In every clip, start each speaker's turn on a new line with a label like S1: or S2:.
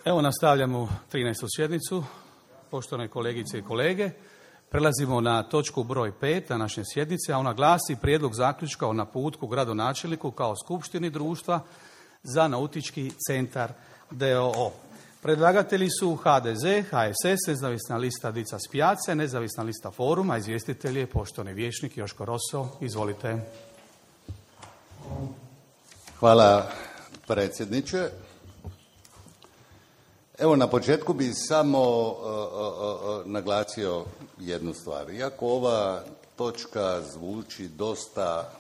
S1: Evo nastavljamo 13. sjednicu. Poštovane kolegice i kolege, prelazimo na točku broj 5 na naše sjednice, a ona glasi Prijedlog zaključka o naputku gradonačelniku kao skupštini društva za nautički centar d.o.o. Predlagatelji su HDZ, HSS, Nezavisna lista Dica Spijace, Nezavisna lista Foruma, izvjestitelj je poštovani vijećnik Joško Rosso. Izvolite.
S2: Hvala predsjedniče. Evo na početku bih samo naglasio jednu stvar. Iako ova točka zvuči dosta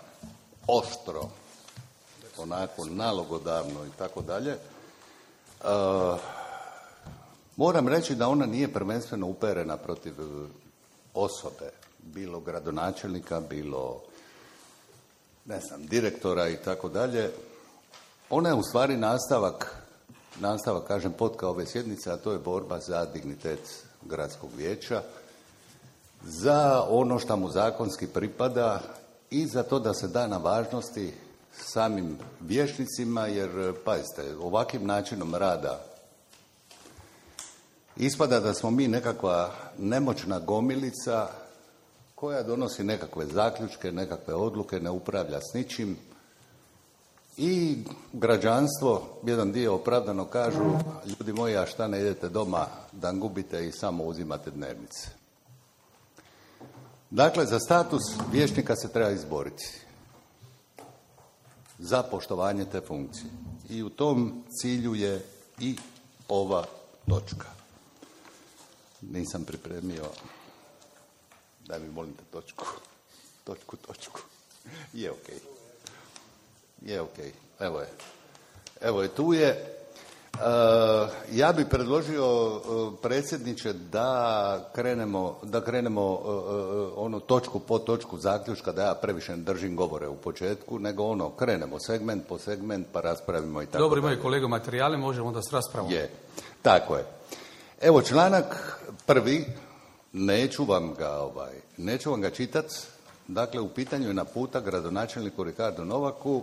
S2: oštro, onako nalogodavno i tako dalje, moram reći da ona nije prvenstveno uperena protiv osobe, bilo gradonačelnika, bilo direktora i tako dalje. Ona je u stvari nastavak, kažem, potka ove sjednice, a to je borba za dignitet gradskog vijeća, za ono što mu zakonski pripada i za to da se da na važnosti samim vijećnicima, jer, pazite, ovakvim načinom rada ispada da smo mi nekakva nemoćna gomilica koja donosi nekakve zaključke, nekakve odluke, ne upravlja s ničim. I građanstvo, jedan dio opravdano kažu, ljudi moji, a šta ne idete doma da gubite i samo uzimate dnevnice. Dakle, za status vijećnika se treba izboriti. Za poštovanje te funkcije. I u tom cilju je i ova točka. Nisam pripremio, daj mi molim te točku. Je okej. Je okej. Evo je, tu je. Ja bih predložio, predsjedniče, da krenemo ono točku po točku zaključka, da ja previše ne držim govore u početku, nego krenemo segment po segment pa raspravimo i tako.
S1: Dobro, imaju kolega materijale, možemo onda s raspravom.
S2: Je, tako je. Evo članak 1, neću vam ga čitati. Dakle, u pitanju je naputak gradonačelniku Ricardu Novaku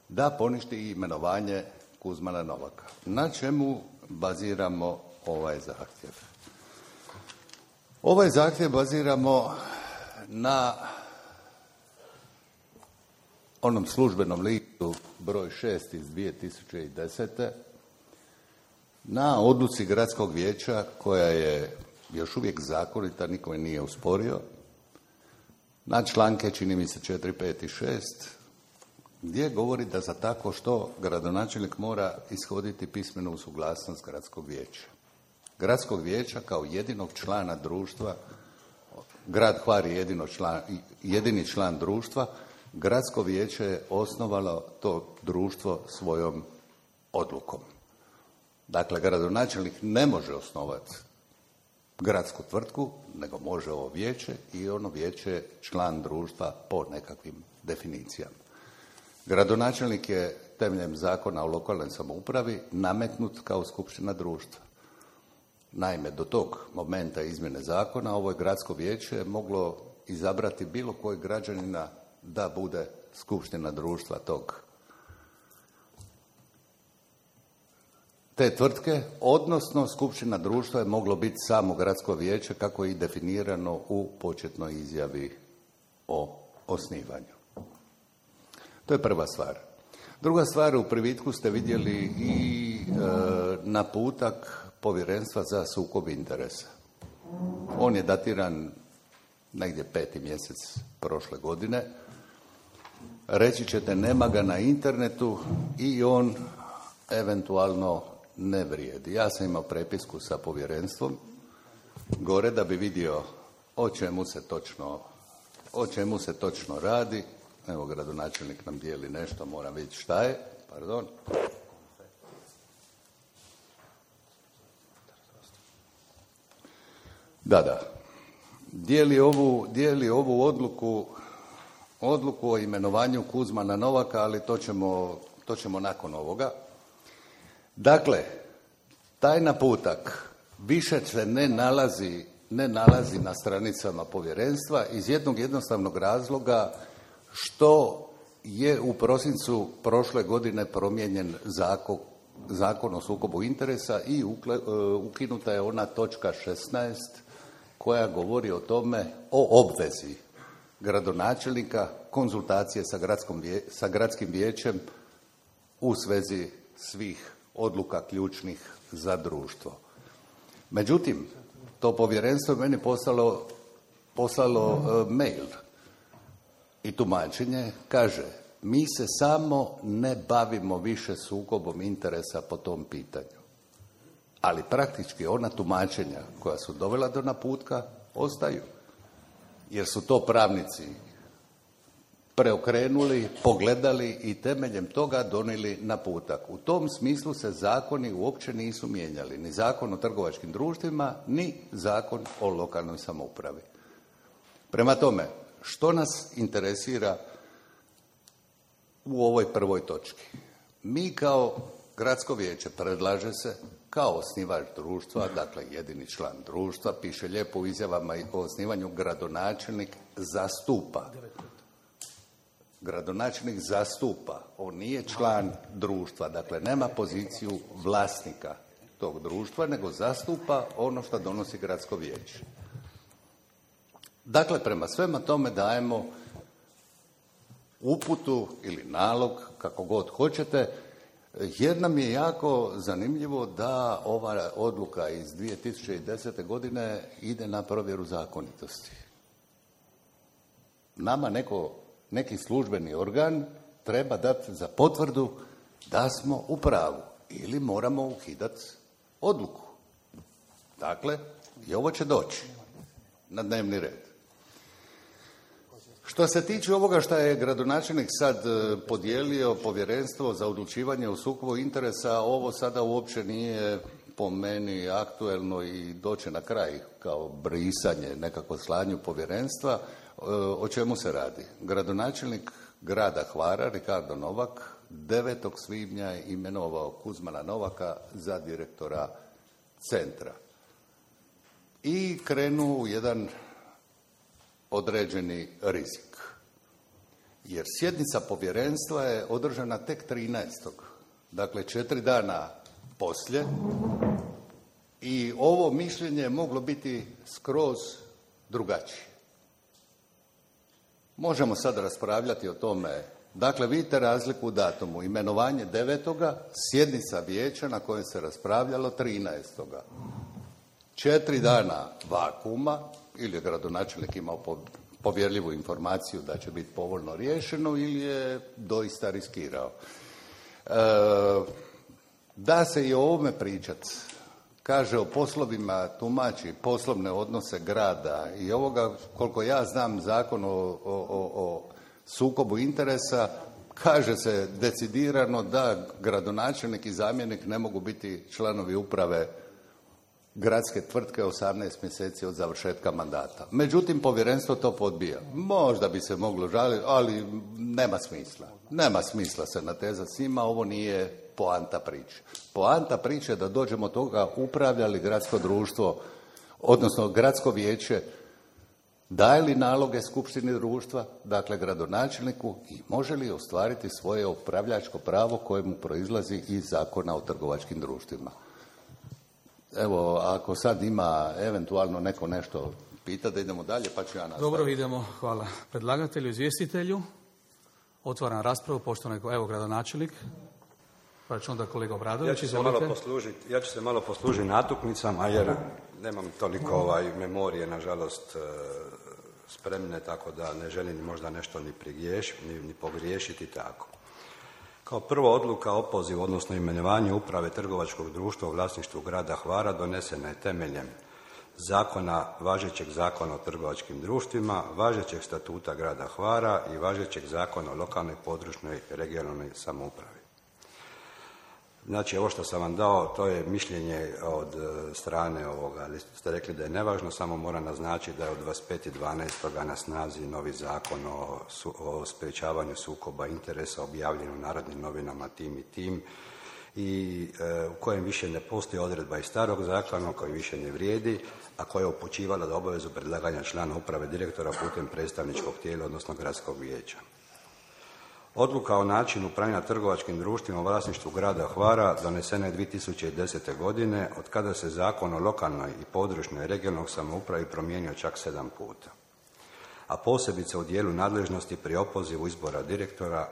S2: da poništi imenovanje Kuzmana Novaka. Na čemu baziramo ovaj zahtjev? Ovaj zahtjev baziramo na onom službenom listu broj 6 iz 2010. na odluci gradskog vijeća koja je još uvijek zakonita, niko je nije usporio, na članke, čini mi se 4, 5 i 6, gdje govori da za tako što gradonačelnik mora ishoditi pismenu suglasnost gradskog vijeća. Gradskog vijeća kao jedinog člana društva, grad Hvar je jedini član društva, gradsko vijeće je osnovalo to društvo svojom odlukom. Dakle, gradonačelnik ne može osnovati gradsku tvrtku, nego može ovo vijeće i ono vijeće je član društva po nekakvim definicijama. Gradonačelnik je temeljem zakona o lokalnoj samoupravi nametnut kao skupština društva. Naime, do tog momenta izmjene zakona ovo je gradsko vijeće moglo izabrati bilo kojeg građanina da bude skupština društva te tvrtke, odnosno skupština društva je moglo biti samo gradsko vijeće kako je i definirano u početnoj izjavi o osnivanju. To je prva stvar. Druga stvar, u privitku ste vidjeli i naputak Povjerenstva za sukob interesa. On je datiran negdje 5. mjesec prošle godine. Reći ćete, nema ga na internetu i on eventualno ne vrijedi. Ja sam imao prepisku sa povjerenstvom gore da bi vidio o čemu se točno radi. Evo, gradonačelnik nam dijeli nešto, moram vidjeti šta je. Pardon. Da. Dijeli ovu odluku o imenovanju Kuzmana Novaka, ali to ćemo nakon ovoga. Dakle, taj naputak više se ne nalazi na stranicama povjerenstva iz jednog jednostavnog razloga što je u prosincu prošle godine promijenjen Zakon o sukobu interesa i ukinuta je ona točka 16 koja govori o tome, o obvezi gradonačelnika konzultacije sa gradskim vijećem u svezi svih odluka ključnih za društvo. Međutim, to povjerenstvo je meni poslalo mail i tumačenje, kaže: mi se samo ne bavimo više sukobom interesa po tom pitanju. Ali praktički ona tumačenja koja su dovela do naputka ostaju. Jer su to pravnici preokrenuli, pogledali i temeljem toga donijeli naputak. U tom smislu se zakoni uopće nisu mijenjali. Ni Zakon o trgovačkim društvima, ni Zakon o lokalnoj samoupravi. Prema tome, što nas interesira u ovoj prvoj točki? Mi kao gradsko vijeće, predlaže se kao osnivač društva, dakle jedini član društva, piše lijepo u izjavama o osnivanju, gradonačelnik zastupa. Gradonačelnik zastupa, on nije član društva, dakle nema poziciju vlasnika tog društva, nego zastupa ono što donosi gradsko vijeće. Dakle, prema svema tome dajemo uputu ili nalog, kako god hoćete, jer nam je jako zanimljivo da ova odluka iz 2010. godine ide na provjeru zakonitosti. Nama neki službeni organ treba dati za potvrdu da smo u pravu ili moramo ukidati odluku. Dakle, i ovo će doći na dnevni red. Što se tiče ovoga što je gradonačelnik sad podijelio povjerenstvo za odlučivanje o sukobu interesa, ovo sada uopće nije po meni aktuelno i doće na kraj kao brisanje, nekako slanju povjerenstva. O čemu se radi? Gradonačelnik grada Hvara, Ricardo Novak, 9. svibnja je imenovao Kuzmana Novaka za direktora centra. I krenuo u jedan određeni rizik. Jer sjednica povjerenstva je održana tek 13. Dakle, 4 dana poslije. I ovo mišljenje je moglo biti skroz drugačije. Možemo sad raspravljati o tome. Dakle, vidite razliku u datumu. Imenovanje 9. sjednica vijeća na kojoj se raspravljalo 13. 4 dana vakuma, ili je gradonačelnik imao povjerljivu informaciju da će biti povoljno riješeno, ili je doista riskirao. Da se i o ovome pričati, kaže o poslovima, tumači poslovne odnose grada i ovoga, koliko ja znam Zakon o sukobu interesa, kaže se decidirano da gradonačelnik i zamjenik ne mogu biti članovi uprave gradske tvrtke 18 mjeseci od završetka mandata. Međutim, povjerenstvo to odbija. Možda bi se moglo žaliti, ali nema smisla. Nema smisla se natezati s njima, ovo nije poanta priče. Poanta priče je da dođemo toga upravlja li gradsko društvo, odnosno gradsko vijeće, daje li naloge skupštini društva, dakle gradonačelniku, i može li ostvariti svoje upravljačko pravo koje mu proizlazi iz Zakona o trgovačkim društvima. Evo, ako sad ima eventualno neko nešto pita, da idemo dalje, pa ću ja nastaviti.
S1: Dobro, idemo. Hvala predlagatelju, izvjestitelju. Otvaram raspravu, poštovani gradonačelnik, pa će onda kolega Obradović, izvolite.
S3: Ja ću se malo poslužiti natuknicama, jer nemam toliko memorije, nažalost, spremne, tako da ne želim možda nešto ni pogriješiti tako. Kao prvo, odluka o opozivu, odnosno imenovanju uprave trgovačkog društva u vlasništvu grada Hvara donesena je temeljem važećeg zakona o trgovačkim društvima, važećeg statuta grada Hvara i važećeg zakona o lokalnoj, područnoj, regionalnoj samoupravi. Znači, ovo što sam vam dao, to je mišljenje od strane ovoga, ali ste rekli da je nevažno, samo moram naznačiti da je od 25.12. na snazi novi zakon o sprječavanju sukoba interesa objavljen u Narodnim novinama tim i tim, i u kojem više ne postoji odredba iz starog zakona, koji više ne vrijedi, a koja je upućivala da obavezu predlaganja člana uprave direktora putem predstavničkog tijela, odnosno gradskog vijeća. Odluka o načinu upravljanja trgovačkim društvima u vlasništvu grada Hvara donesena je 2010. godine, od kada se Zakon o lokalnoj i područnoj regionalnoj samoupravi promijenio čak 7 puta, a posebice u dijelu nadležnosti pri opozivu izbora direktora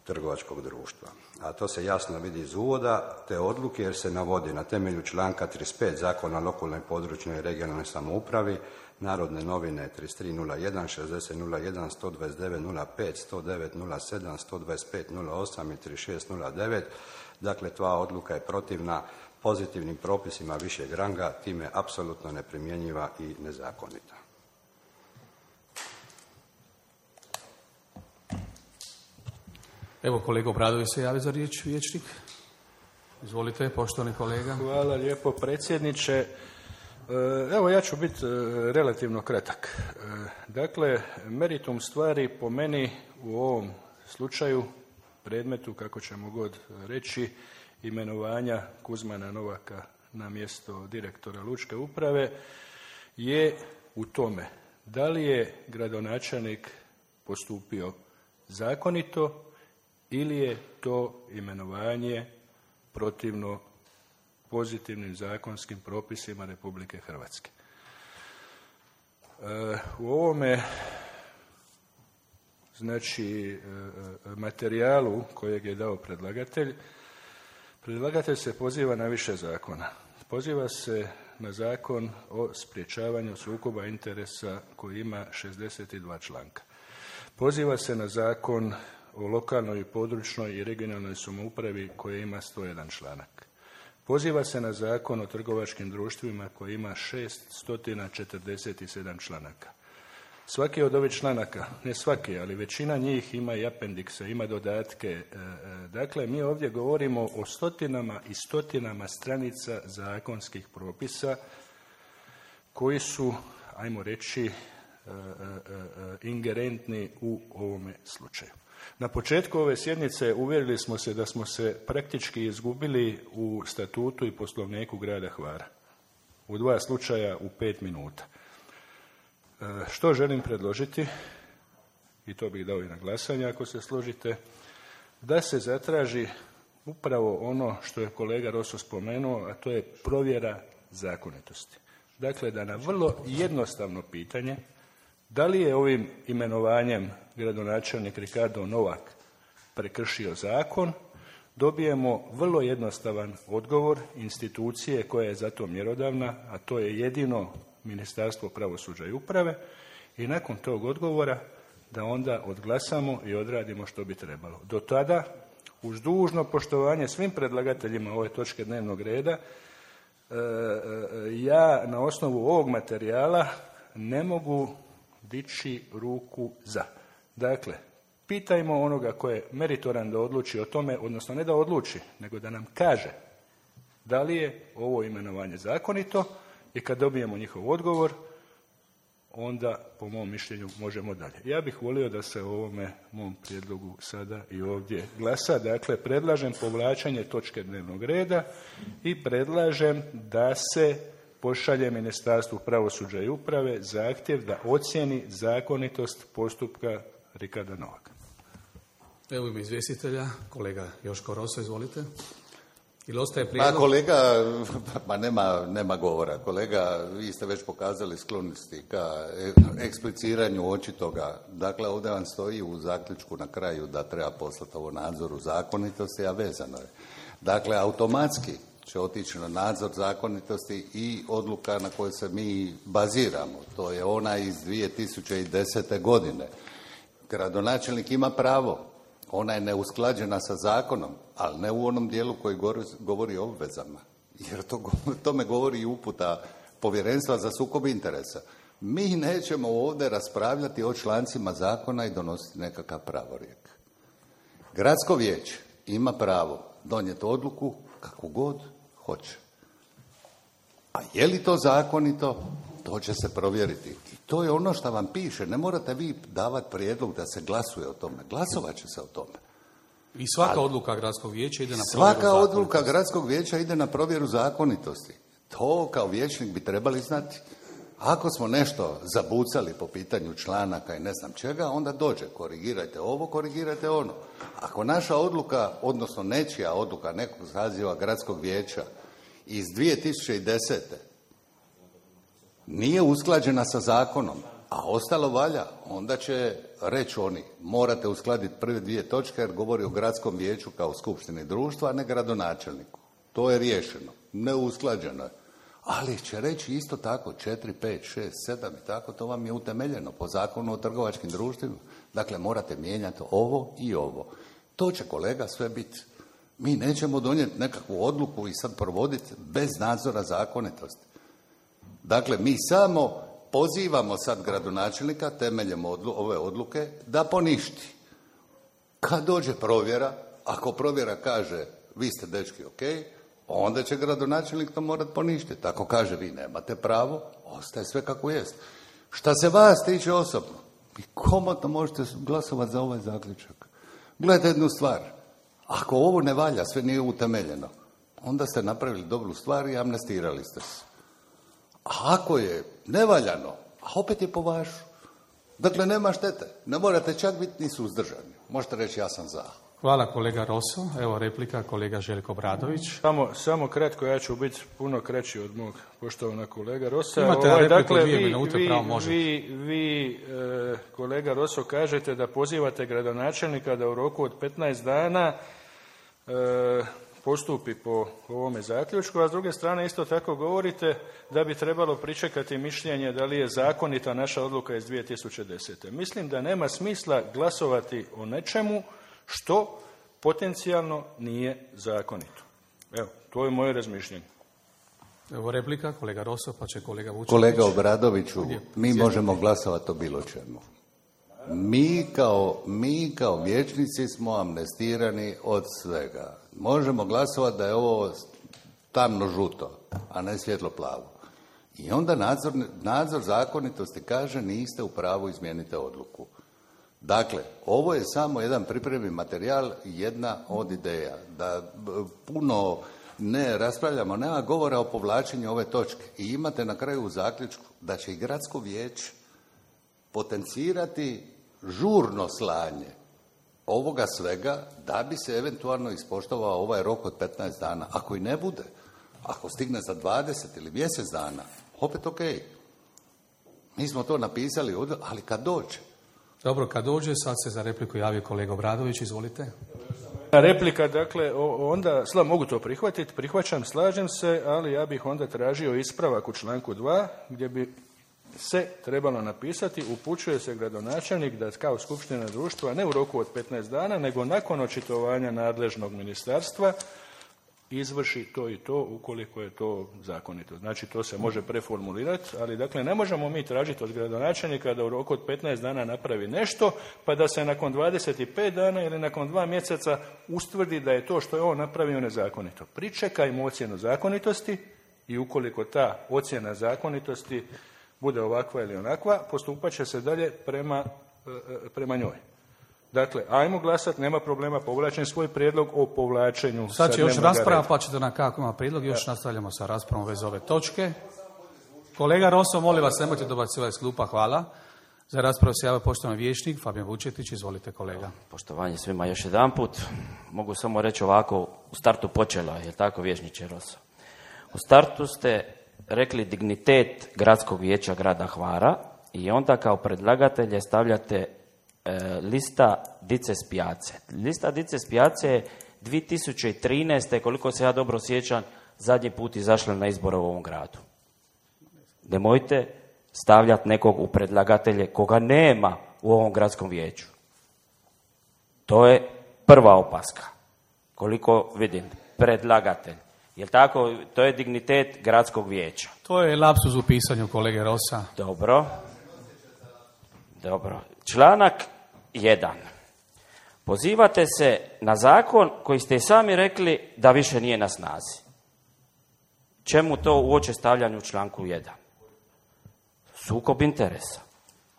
S3: trgovačkog društva. A to se jasno vidi iz uvoda te odluke, jer se navodi na temelju članka 35 Zakona o lokalnoj, područnoj i regionalnoj samoupravi, Narodne novine 3301, 6001, 12905, 10907, 12508 i 3609. Dakle, ta odluka je protivna pozitivnim propisima višeg ranga, time apsolutno neprimjenjiva i nezakonita.
S1: Evo, kolega Obradović se javi za riječ, vijećnik. Izvolite, poštovani kolega.
S4: Hvala lijepo, predsjedniče. Evo, ja ću biti relativno kratak. Dakle, meritum stvari po meni u ovom slučaju, predmetu, kako ćemo god reći, imenovanja Kuzmana Novaka na mjesto direktora Lučke uprave, je u tome da li je gradonačelnik postupio zakonito ili je to imenovanje protivno pozitivnim zakonskim propisima Republike Hrvatske. U ovome materijalu kojeg je dao predlagatelj se poziva na više zakona. Poziva se na Zakon o sprječavanju sukoba interesa koji ima 62 članka. Poziva se na Zakon o lokalnoj, područnoj i regionalnoj samoupravi koji ima 101 članak. Poziva se na Zakon o trgovačkim društvima koji ima 647 članaka. Svaki od ovih članaka, ne svaki, ali većina njih ima i apendikse, ima dodatke. Dakle, mi ovdje govorimo o stotinama i stotinama stranica zakonskih propisa koji su, ajmo reći, ingerentni u ovome slučaju. Na početku ove sjednice uvjerili smo se da smo se praktički izgubili u statutu i poslovniku grada Hvara. U 2 slučaja u 5 minuta. Što želim predložiti, i to bih dao i na glasanje ako se složite, da se zatraži upravo ono što je kolega Roso spomenuo, a to je provjera zakonitosti. Dakle, da na vrlo jednostavno pitanje, da li je ovim imenovanjem gradonačelnik Ricardo Novak prekršio zakon, dobijemo vrlo jednostavan odgovor institucije koja je za to mjerodavna, a to je jedino Ministarstvo pravosuđa i uprave, i nakon tog odgovora da onda odglasamo i odradimo što bi trebalo. Do tada, uz dužno poštovanje svim predlagateljima ove točke dnevnog reda, ja na osnovu ovog materijala ne mogu dići ruku za. Dakle, pitajmo onoga ko je meritoran da odluči o tome, odnosno ne da odluči, nego da nam kaže da li je ovo imenovanje zakonito, i kad dobijemo njihov odgovor, onda po mom mišljenju možemo dalje. Ja bih volio da se o ovome mom prijedlogu sada i ovdje glasa. Dakle, predlažem povlačenje točke dnevnog reda i predlažem da se pošalje Ministarstvu pravosuđa i uprave zahtjev da ocijeni zakonitost postupka Ricarda Novaka.
S1: Evo ime izvjestitelja, kolega Joško Roso, izvolite. Ili ostaje prijedlog?
S2: Pa kolega, nema govora. Kolega, vi ste već pokazali sklonosti ka ekspliciranju očitoga. Dakle, ovdje vam stoji u zaključku na kraju da treba poslati ovo nadzoru zakonitosti, a vezano je. Dakle, automatski će otići na nadzor zakonitosti i odluka na kojoj se mi baziramo. To je ona iz 2010. godine. Gradonačelnik ima pravo. Ona je neusklađena sa zakonom, ali ne u onom dijelu koji govori o obvezama. Jer tome govori i uputa Povjerenstva za sukob interesa. Mi nećemo ovdje raspravljati o člancima zakona i donositi nekakav pravorijek. Gradsko vijeće ima pravo donijeti odluku kako god hoće. A je li to zakonito, to će se provjeriti. I to je ono što vam piše. Ne morate vi davati prijedlog da se glasuje o tome. Glasovat će se o tome.
S1: I svaka odluka gradskog vijeća ide na provjeru
S2: zakonitosti. Svaka odluka gradskog vijeća ide na provjeru zakonitosti. To kao vijećnik bi trebali znati. Ako smo nešto zabucali po pitanju članaka i ne znam čega, onda dođe, korigirajte ovo, korigirajte ono. Ako naša odluka, odnosno nečija odluka nekog saziva gradskog vijeća iz 2010. nije usklađena sa zakonom, a ostalo valja, onda će reći oni, morate uskladiti prve dvije točke jer govori o gradskom vijeću kao skupštini društva, a ne gradonačelniku. To je riješeno, neusklađeno je. Ali će reći isto tako 4, 5, 6, 7 i tako, to vam je utemeljeno po zakonu o trgovačkim društvima. Dakle, morate mijenjati ovo i ovo. To će, kolega, sve biti. Mi nećemo donijeti nekakvu odluku i sad provoditi bez nadzora zakonitosti. Dakle, mi samo pozivamo sad gradonačelnika temeljem ove odluke da poništi. Kad dođe provjera, ako provjera kaže vi ste dečki ok, onda će gradonačelnik to morati poništiti. Ako kaže vi nemate pravo, ostaje sve kako jest. Šta se vas tiče osobno, vi komotno možete glasovati za ovaj zaključak. Gledajte jednu stvar, ako ovo ne valja, sve nije utemeljeno, onda ste napravili dobru stvar i amnestirali ste se. A ako je nevaljano, a opet je po vašu. Dakle, nema štete. Ne morate čak biti ni suzdržani. Možete reći ja sam za.
S1: Hvala kolega Roso. Evo replika kolega Željko Obradović.
S4: Samo kratko, ja ću biti puno kraći od mog poštovanog kolega Rosa.
S1: Imate repliku 2 minute, pravo može.
S4: Vi, kolega Roso, kažete da pozivate gradonačelnika da u roku od 15 dana postupi po ovome zaključku, a s druge strane isto tako govorite da bi trebalo pričekati mišljenje da li je zakonita naša odluka iz 2010. Mislim da nema smisla glasovati o nečemu što potencijalno nije zakonito. Evo, to je moje razmišljanje.
S1: Evo replika, kolega Roso, pa će kolega Vučetić.
S2: Kolega Obradoviću, mi možemo glasovati o bilo čemu. Mi kao vijećnici smo amnestirani od svega. Možemo glasovati da je ovo tamno žuto, a ne svjetlo plavo. I onda nadzor zakonitosti kaže niste u pravu, izmijenite odluku. Dakle, ovo je samo jedan pripremni materijal, jedna od ideja. Da puno ne raspravljamo, nema govora o povlačenju ove točke. I imate na kraju u zaključku da će i gradsko vijeće potencirati žurno slanje ovoga svega da bi se eventualno ispoštovao ovaj rok od 15 dana. Ako i ne bude, ako stigne za 20 ili mjesec dana, opet ok. Mi smo to napisali ovdje, ali kad dođe.
S1: Dobro, kad dođe, sad se za repliku javio kolega Obradović, izvolite.
S4: Replika, dakle, onda, mogu to prihvatiti, prihvaćam, slažem se, ali ja bih onda tražio ispravak u članku 2, gdje bi se trebalo napisati, upućuje se gradonačelnik da kao skupština društva ne u roku od 15 dana, nego nakon očitovanja nadležnog ministarstva izvrši to i to ukoliko je to zakonito. Znači, to se može preformulirati, ali dakle ne možemo mi tražiti od gradonačelnika da u roku od 15 dana napravi nešto, pa da se nakon 25 dana ili nakon 2 mjeseca ustvrdi da je to što je on napravio nezakonito. Pričekajmo ocjenu zakonitosti i ukoliko ta ocjena zakonitosti bude ovakva ili onakva, postupat će se dalje prema njoj. Dakle, ajmo glasati, nema problema, povlačim svoj prijedlog o povlačenju.
S1: Sad će još rasprava, pa ćete na kako ima prijedlog, još nastavljamo sa raspravom vez ove točke. Kolega Roso, molim vas, nemojte dobacivati s klupa, hvala. Za raspravu se javio poštovani vijećnik Fabijan Vučetić, izvolite kolega.
S5: Poštovanje svima još jedanput. Mogu samo reći ovako, u startu počelo, je tako vijećniče Roso? U startu ste rekli dignitet gradskog vijeća grada Hvara i onda kao predlagatelje stavljate lista Dice Spijace. Lista Dice Spijace je 2013. koliko se ja dobro sjećam, zadnji put izašla na izbore u ovom gradu. Nemojte stavljati nekog u predlagatelje koga nema u ovom gradskom vijeću. To je prva opaska. Koliko vidim, predlagatelj. Jel tako? To je dignitet gradskog vijeća.
S1: To je lapsus u pisanju kolege Rosa.
S5: Dobro. Članak 1. Pozivate se na zakon koji ste sami rekli da više nije na snazi. Čemu to uoče stavljanje u članku 1? Sukob interesa.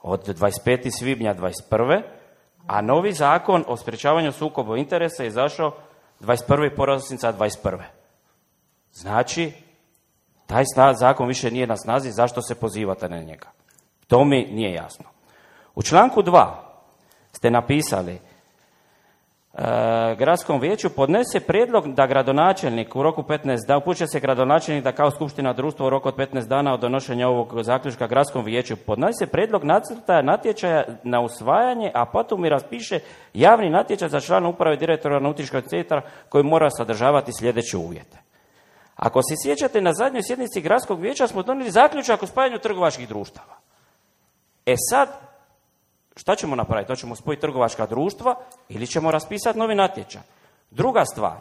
S5: Od 25. svibnja 21. a novi zakon o sprječavanju sukoba interesa je izašao 21. prosinca 21. Znači, Taj zakon više nije na snazi, zašto se pozivate na njega? To mi nije jasno. U članku 2 ste napisali gradskom vijeću podnese prijedlog da gradonačelnik u roku 15 dana, upućuje se gradonačelnik da kao skupština društva u roku od 15 dana od donošenja ovog zaključka gradskom vijeću podnese prijedlog nacrta natječaja na usvajanje, a potom i raspiše javni natječaj za člana uprave direktora nautičkog centra koji mora sadržavati sljedeće uvjete. Ako se sjećate, na zadnjoj sjednici gradskog vijeća smo donijeli zaključak o spajanju trgovačkih društava. E sad, šta ćemo napraviti? To ćemo spojiti trgovačka društva ili ćemo raspisati novi natječaj? Druga stvar,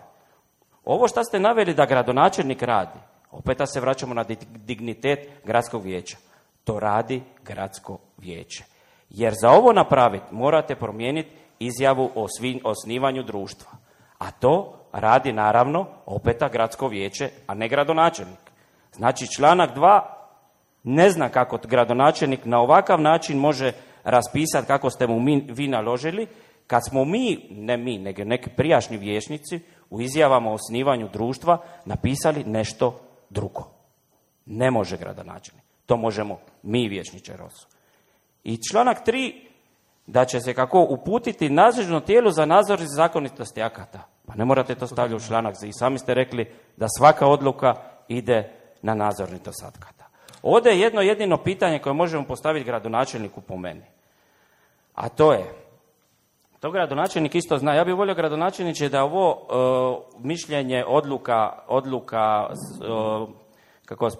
S5: ovo što ste naveli da gradonačelnik radi, opet se vraćamo na dignitet gradskog vijeća. To radi gradsko vijeće. Jer za ovo napraviti morate promijeniti izjavu o osnivanju društva. A to radi naravno opet gradsko vijeće, a ne gradonačelnik. Znači članak 2 ne zna kako gradonačelnik na ovakav način može raspisati kako ste mu vi naložili, kad smo ne mi, nego neki prijašnji vijećnici u izjavama o osnivanju društva napisali nešto drugo. Ne može gradonačelnik. To možemo mi, vijećniče Rosso. I članak 3, da će se kako uputiti nadležno tijelo za nadzor zakonitosti akata. Pa ne morate to stavljati u članak. I sami ste rekli da svaka odluka ide na nadzoritost akata. Ovdje je jedno jedino pitanje koje možemo postaviti gradonačelniku po meni. A to je, to gradonačelnik isto zna. Ja bih volio, gradonačelniče, da ovo mišljenje, odluka kako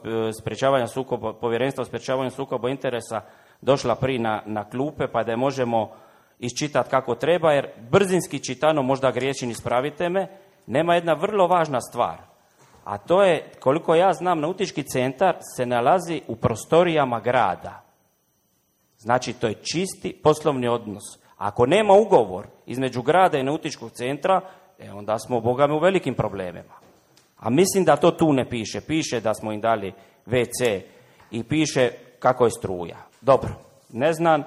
S5: sprječavanja sukoba, povjerenstva o sprječavanju sukoba interesa došla prije na klupe, pa da je možemo iščitati kako treba, jer brzinski čitano, možda griješim, ispravite me, nema jedna vrlo važna stvar. A to je, koliko ja znam, nautički centar se nalazi u prostorijama grada. Znači, to je čisti poslovni odnos. Ako nema ugovor između grada i nautičkog centra, onda smo, Boga mi, u velikim problemima. A mislim da to tu ne piše. Piše da smo im dali WC i piše kako je struja. Dobro, ne znam,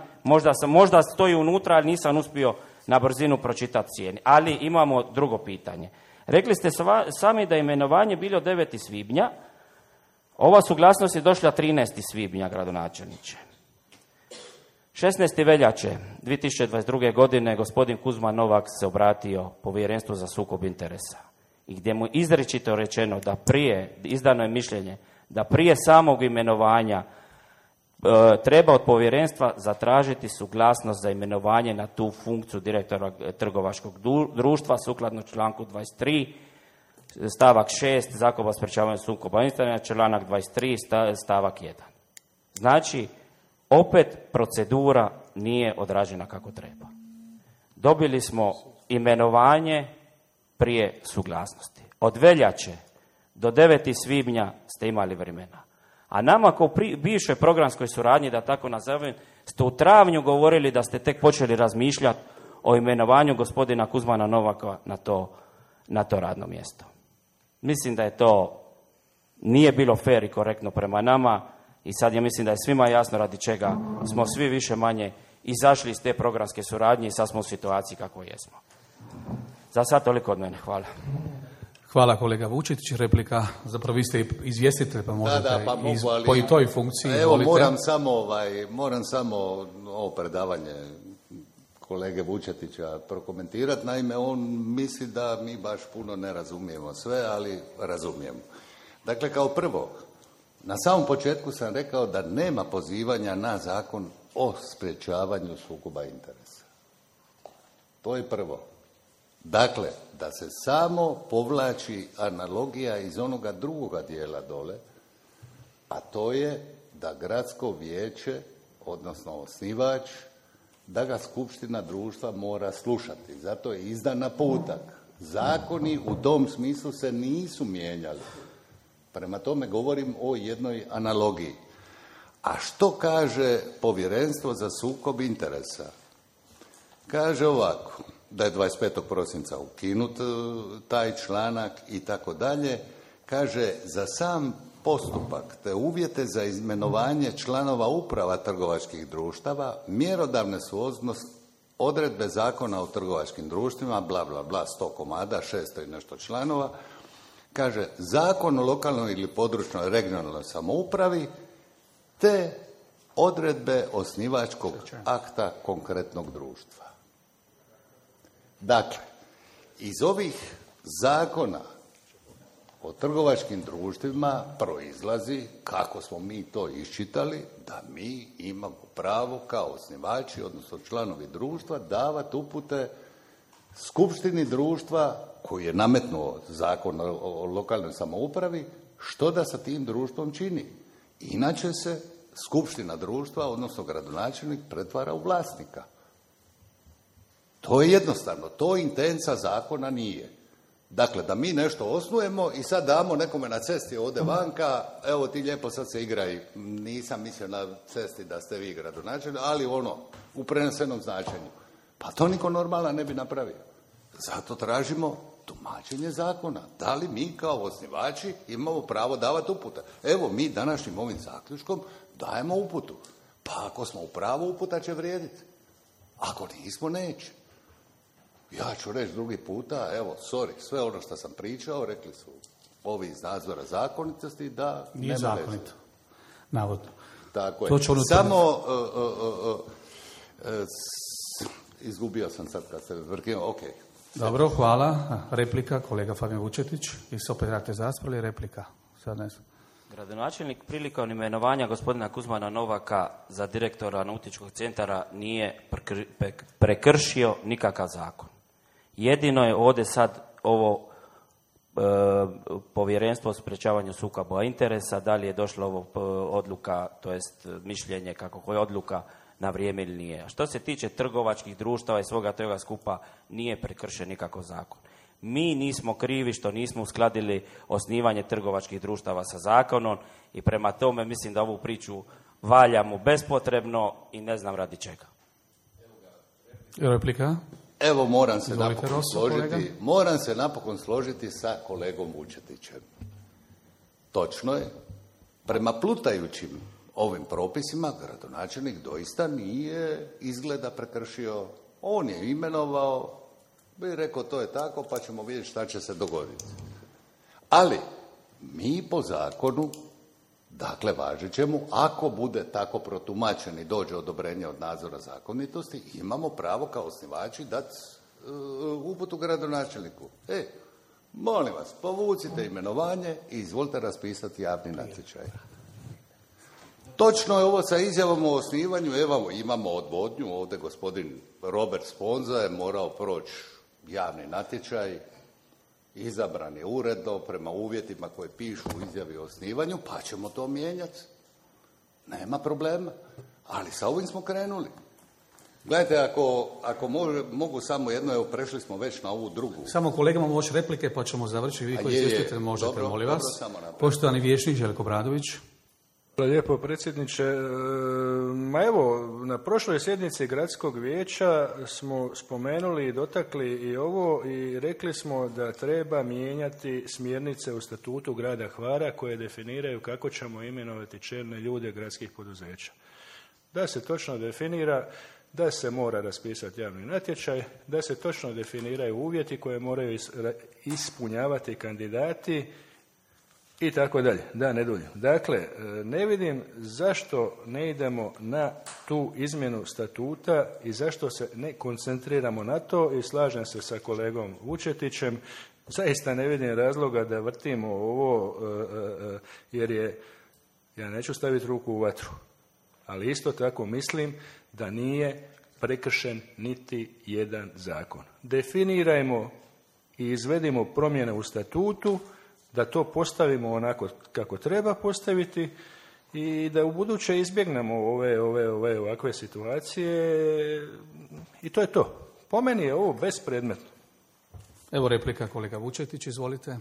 S5: možda stoji unutra, ali nisam uspio na brzinu pročitati cijeni. Ali imamo drugo pitanje. Rekli ste sami da je imenovanje bilo 9. svibnja. Ova suglasnost je došla 13. svibnja, gradonačelniče. 16. veljače 2022. godine gospodin Kuzma Novak se obratio Povjerenstvu za sukob interesa i gdje mu izričito rečeno da izdano je mišljenje da prije samog imenovanja treba od povjerenstva zatražiti suglasnost za imenovanje na tu funkciju direktora trgovačkog društva sukladno članku 23, stavak 6 Zakona o sprječavanju sukoba interesa, članak 23, stavak 1. Znači, opet procedura nije odrađena kako treba. Dobili smo imenovanje prije suglasnosti. Od veljače do 9. svibnja ste imali vremena. A nama kao bivšoj programskoj suradnji, da tako nazovem, ste u travnju govorili da ste tek počeli razmišljati o imenovanju gospodina Kuzmana Novaka na to radno mjesto. Mislim da je to nije bilo fer i korektno prema nama i sad ja mislim da je svima jasno radi čega smo svi više manje izašli iz te programske suradnje i sad smo u situaciji kako jesmo. Za sad toliko od mene. Hvala.
S1: Hvala kolega Vučetić. Replika, zapravo vi ste izvjestitelj, pa možete po i toj funkciji.
S2: Evo, moram samo ovo predavanje kolege Vučetića prokomentirati. Naime, on misli da mi baš puno ne razumijemo sve, ali razumijemo. Dakle, kao prvo, na samom početku sam rekao da nema pozivanja na zakon o sprječavanju sukoba interesa. To je prvo. Dakle, da se samo povlači analogija iz onoga drugoga dijela dole, a to je da gradsko vijeće, odnosno osnivač, da ga skupština društva mora slušati. Zato je izdan naputak. Zakoni u tom smislu se nisu mijenjali. Prema tome govorim o jednoj analogiji. A što kaže Povjerenstvo za sukob interesa? Kaže ovako, da je 25. prosinca ukinut taj članak i tako dalje. Kaže, za sam postupak te uvjete za imenovanje članova uprava trgovačkih društava mjerodavne su odredbe Zakona o trgovačkim društvima, bla, bla, bla, 100 komada, 600 i nešto članova, Kaže, Zakon o lokalnoj ili područnoj regionalnoj samoupravi te odredbe osnivačkog akta konkretnog društva. Dakle, iz ovih zakona o trgovačkim društvima proizlazi, kako smo mi to iščitali, da mi imamo pravo kao osnivači, odnosno članovi društva, davati upute skupštini društva koji je nametnuo Zakon o lokalnoj samoupravi, što da sa tim društvom čini. Inače se skupština društva, odnosno gradonačelnik, pretvara u vlasnika. To je jednostavno, to intenca zakona nije. Dakle, da mi nešto osnujemo i sad damo nekome na cesti ovdje vanka, evo ti lijepo sad se igraj, nisam mislio na cesti da ste vi gradonačelnik, ali u prenesenom značenju. Pa to niko normalan ne bi napravio. Zato tražimo tumačenje zakona. Da li mi kao osnivači imamo pravo davati upute? Evo, mi današnjim ovim zaključkom dajemo uputu. Pa ako smo u pravu, uputa će vrijediti. Ako nismo, neće. Ja ću reći drugi puta, evo, sve ono što sam pričao, rekli su ovi iz nadzora zakonitosti da
S1: nije zakonito. Navodno.
S2: Tako je. Samo izgubio sam sad kad se vrkio, ok.
S1: Dobro, hvala. Replika, kolega Fabijan Vučetić. I se opet radite zaspravili, replika. Sad ne znam.
S5: Gradonačelnik prilikom imenovanja gospodina Kuzmana Novaka za direktora nautičkog centara nije prekršio nikakav zakon. Jedino je ovdje sad ovo povjerenstvo o sprečavanju sukoba interesa, da li je došla ovo odluka, to jest mišljenje kako koja odluka na vrijeme ili nije. A što se tiče trgovačkih društava i svoga toga skupa, nije prekršen nikakav zakon. Mi nismo krivi što nismo uskladili osnivanje trgovačkih društava sa zakonom i prema tome mislim da ovu priču valjamo bespotrebno i ne znam radi čega.
S1: Replika?
S2: Evo, moram se napokon složiti sa kolegom Vučetićem. Točno je, prema plutajućim ovim propisima gradonačelnik doista nije izgleda prekršio. On je imenovao, bi rekao to je tako, pa ćemo vidjeti šta će se dogoditi. Ali mi po zakonu, dakle važećemu, ako bude tako protumačen i dođe odobrenje od nadzora zakonitosti, imamo pravo kao osnivači dati uputu gradonačelniku. Molim vas, povucite imenovanje i izvolite raspisati javni natječaj. Točno je ovo sa izjavom o osnivanju, evo imamo odvodnju, ovdje gospodin Robert Sponza je morao proći javni natječaj, izabran je uredno prema uvjetima koje pišu u izjavi o osnivanju, pa ćemo to mijenjati. Nema problema. Ali sa ovim smo krenuli. Gledajte, ako mogu samo jedno, evo prešli smo već na ovu drugu.
S1: Samo kolegama moći replike pa ćemo završiti. Vi koji čestite možete, dobro, molim vas. Poštovani vijećnik Željko Bradović.
S4: Hvala lijepo, predsjedniče. Ma evo, na prošloj sjednici gradskog vijeća smo spomenuli i dotakli i ovo i rekli smo da treba mijenjati smjernice u statutu grada Hvara koje definiraju kako ćemo imenovati čelne ljude gradskih poduzeća. Da se točno definira da se mora raspisati javni natječaj, da se točno definiraju uvjeti koje moraju ispunjavati kandidati i tako dalje, da ne duljim. Dakle, ne vidim zašto ne idemo na tu izmjenu statuta i zašto se ne koncentriramo na to i slažem se sa kolegom Vučetićem. Zaista ne vidim razloga da vrtimo ovo jer ja neću staviti ruku u vatru, ali isto tako mislim da nije prekršen niti jedan zakon. Definirajmo i izvedimo promjene u statutu, da to postavimo onako kako treba postaviti i da u buduće izbjegnemo ovakve situacije i to je to. Po meni je ovo bespredmetno.
S1: Evo replika, kolega Vučetić, izvolite.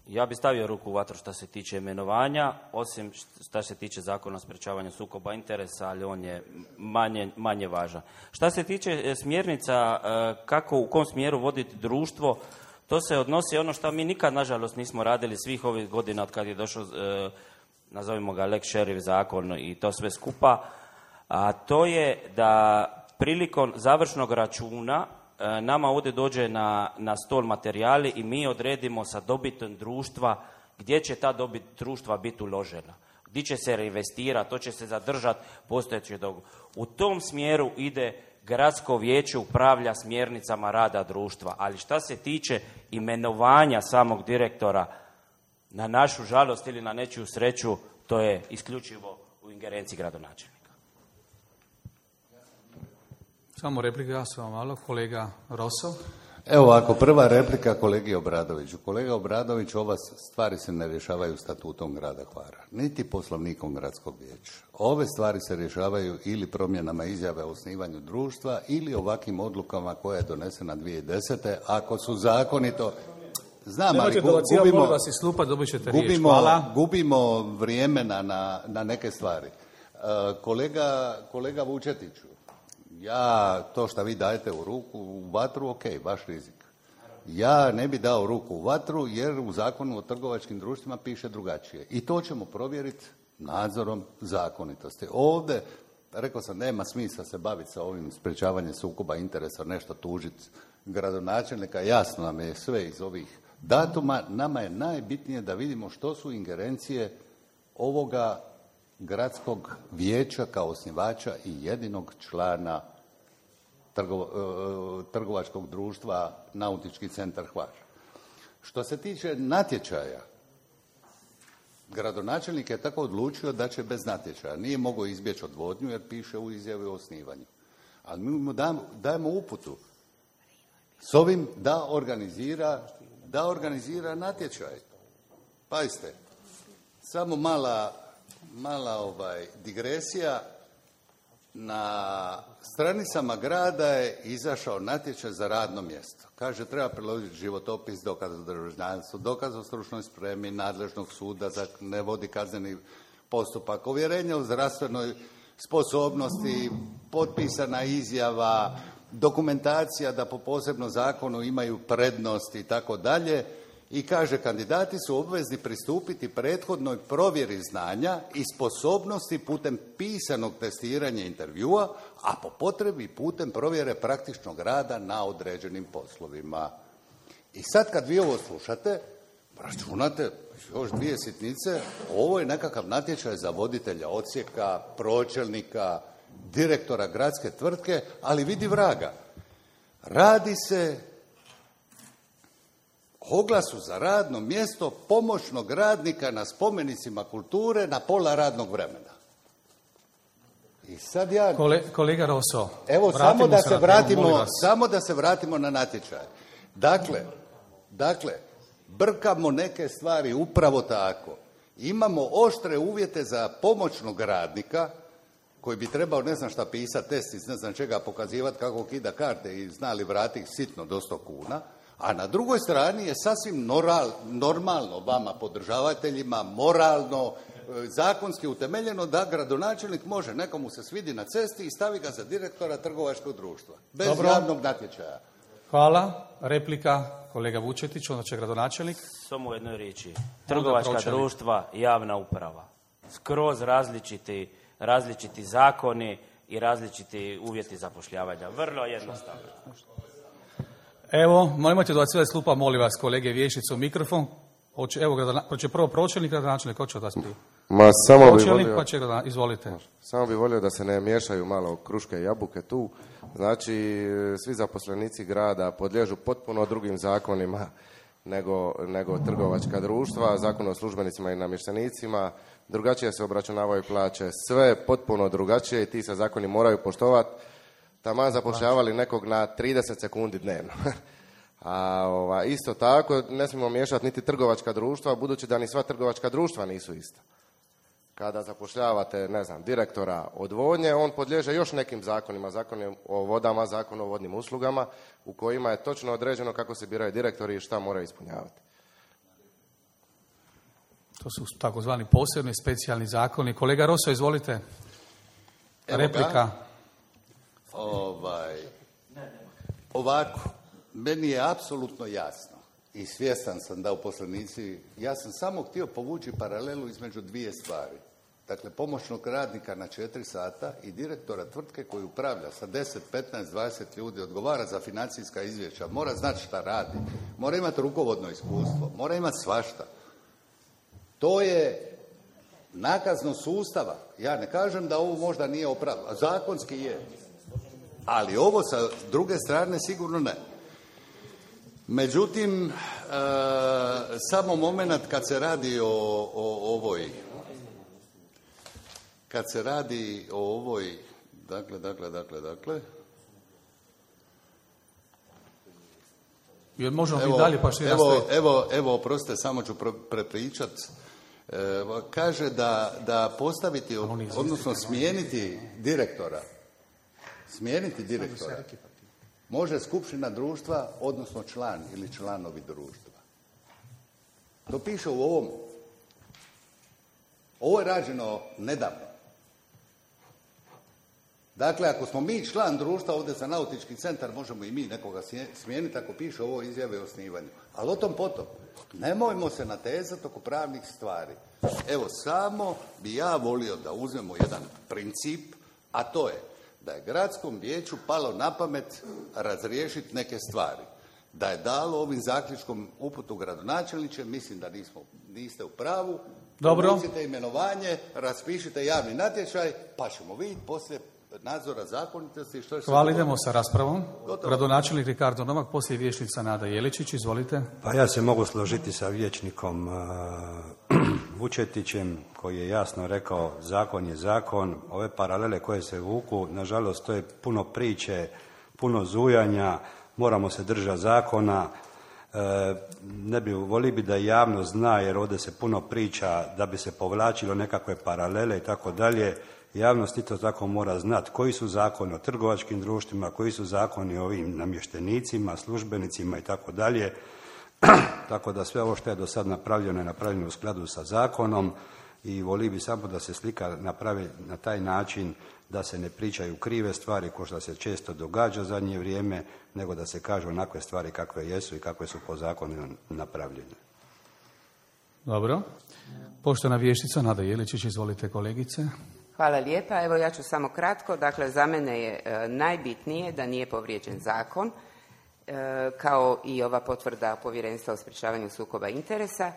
S5: Ja bih stavio ruku u vatru što se tiče imenovanja, osim što se tiče zakona o sprečavanju sukoba interesa, ali on je manje važan. Što se tiče smjernica kako, u kom smjeru voditi društvo, to se odnosi ono što mi nikad, nažalost, nismo radili svih ovih godina od kad je došao, nazovimo ga Lex Šerif zakon i to sve skupa, a to je da prilikom završnog računa nama ovdje dođe na stol materijali i mi odredimo sa dobitom društva gdje će ta dobit društva biti uložena. Gdje će se reinvestirati, to će se zadržati postojeći dug. U tom smjeru ide gradsko vijeće, upravlja smjernicama rada društva. Ali šta se tiče imenovanja samog direktora, na našu žalost ili na nečiju sreću, to je isključivo u ingerenciji gradonačelnika.
S1: Samo replika, samo malo. Kolega Rosso.
S2: Evo ovako, prva replika kolegi Obradoviću. Kolega Obradović, ova stvari se ne rješavaju statutom grada Hvara, niti poslovnikom gradskog vijeća. Ove stvari se rješavaju ili promjenama izjave o osnivanju društva ili ovakvim odlukama koja je donesena 2010. Ako su zakonito... Znam, ali gubimo vrijeme na neke stvari. Kolega Vučetiću, ja to što vi dajete u ruku u vatru, ok, vaš rizik. Ja ne bi dao ruku u vatru jer u zakonu o trgovačkim društvima piše drugačije. I to ćemo provjeriti nadzorom zakonitosti. Ovdje, rekao sam, nema smisla se baviti sa ovim sprečavanjem sukoba interesa, nešto tužiti gradonačelnika. Jasno nam je sve iz ovih datuma. Nama je najbitnije da vidimo što su ingerencije ovoga gradskog vijeća kao osnivača i jedinog člana trgovačkog društva Nautički centar Hvar. Što se tiče natječaja, gradonačelnik je tako odlučio da će bez natječaja. Nije mogao izbjeći odvodnju jer piše u izjavi o osnivanju. Ali mi mu dajemo uputu s ovim da organizira natječaj. Pazite, samo mala digresija. Na stranicama grada je izašao natječaj za radno mjesto. Kaže, treba priložiti životopis, dokaz o državljanstvu, dokaz o stručnoj spremi nadležnog suda za ne vodi kazneni postupak, uvjerenje o zdravstvenoj sposobnosti, potpisana izjava, dokumentacija da po posebnom zakonu imaju prednost i tako dalje. I kaže, kandidati su obvezni pristupiti prethodnoj provjeri znanja i sposobnosti putem pisanog testiranja intervjua, a po potrebi putem provjere praktičnog rada na određenim poslovima. I sad kad vi ovo slušate, računate još 2 sitnice, ovo je nekakav natječaj za voditelja odsjeka, pročelnika, direktora gradske tvrtke, ali vidi vraga. Radi se oglasu za radno mjesto pomoćnog radnika na spomenicima kulture na pola radnog vremena. I sad ja...
S1: Kolega Rosso,
S2: evo, samo da se vratimo na natječaj. Dakle, brkamo neke stvari upravo tako. Imamo oštre uvjete za pomoćnog radnika koji bi trebao ne znam šta pisati, test iz ne znam čega, pokazivati kako kida karte i znali vratiti sitno do 100 kuna. A na drugoj strani je sasvim normalno vama podržavateljima, moralno, zakonski utemeljeno da gradonačelnik može nekomu se svidi na cesti i stavi ga za direktora trgovačkog društva. Bez javnog natječaja.
S1: Hvala. Replika, kolega Vučetić, onda će gradonačelnik.
S5: Samo u jednoj riječi. Trgovačka društva, javna uprava. Skroz različiti zakoni i različiti uvjeti zapošljavanja. Vrlo jednostavno.
S1: Evo, nemojte dobacivati slupa, molim vas, kolege vijećnicu, mikrofon. Hoće prvo pročelnik, gradonačelnik, hoće od vas prije. Pročelnik, pa će izvolite.
S6: Samo bi volio da se ne miješaju malo kruške i jabuke tu. Znači, svi zaposlenici grada podliježu potpuno drugim zakonima nego trgovačka društva, zakon o službenicima i namještenicima, drugačije se obračunavaju plaće, sve potpuno drugačije i ti se zakoni moraju poštovati. Taman zapošljavali nekog na 30 sekundi dnevno. A isto tako ne smijemo miješati niti trgovačka društva, budući da ni sva trgovačka društva nisu ista. Kada zapošljavate, direktora odvodnje, on podliježe još nekim zakonima, zakon o vodama, zakon o vodnim uslugama, u kojima je točno određeno kako se biraju direktori i šta moraju ispunjavati.
S1: To su takozvani posebni, specijalni zakoni. Kolega Rosso, izvolite. Replika.
S2: Ovako, meni je apsolutno jasno i svjestan sam da uposlenici, ja sam samo htio povući paralelu između 2 stvari. dakle pomoćnog radnika na 4 sata i direktora tvrtke koji upravlja sa 10, 15, 20 ljudi, odgovara za financijska izvješća, mora znati šta radi, mora imati rukovodno iskustvo, mora imati svašta. To je nakazno sustava. Ja ne kažem da ovo možda nije opravdano, zakonski je, ali ovo sa druge strane sigurno ne. Međutim, samo moment kad se radi o ovoj, dakle,
S1: jer možemo biti dalje pa što
S2: evo, oprostite, samo ću prepričat. Kaže da postaviti, odnosno smijeniti direktora može skupština društva, odnosno član ili članovi društva. To piše u ovom. Ovo je rađeno nedavno. Dakle, ako smo mi član društva ovdje za nautički centar, možemo i mi nekoga smijeniti ako piše ovo izjave o osnivanju. Ali o tom potom. Nemojmo se natezati oko pravnih stvari. Evo, samo bi ja volio da uzmemo jedan princip, a to je da je gradskom vijeću palo na pamet razriješiti neke stvari. Da je dalo ovim zaključkom uputu gradonačelniče, mislim da niste u pravu.
S1: Dobro.
S2: Povucite imenovanje, raspišite javni natječaj, pa ćemo vidjeti poslije nadzora zakonitosti što će se...
S1: Hvala, idemo sa raspravom. Gradonačelnik Ricardo Novak, poslije vijećnica Nada Jeličić, izvolite.
S3: Pa ja se mogu složiti sa vijećnikom Vučetićem koji je jasno rekao zakon je zakon. Ove paralele koje se vuku, nažalost, to je puno priče, puno zujanja, moramo se držati zakona. Volio bi da javnost zna, jer ovdje se puno priča da bi se povlačilo nekakve paralele i tako dalje. Javnost isto tako mora znati koji su zakoni o trgovačkim društvima, koji su zakoni o ovim namještenicima, službenicima i tako dalje. Tako da sve ovo što je do sad napravljeno je napravljeno u skladu sa zakonom i volio bi samo da se slika napravi na taj način da se ne pričaju krive stvari kao što se često događa u zadnje vrijeme, nego da se kažu onakve stvari kakve jesu i kakve su po zakonu napravljene.
S1: Dobro. Poštovana vijećnica Nada Jeličić, izvolite kolegice.
S7: Hvala lijepa. Evo ja ću samo kratko. Dakle, za mene je najbitnije da nije povrijeđen zakon, kao i ova potvrda Povjerenstva o sprječavanju sukoba interesa.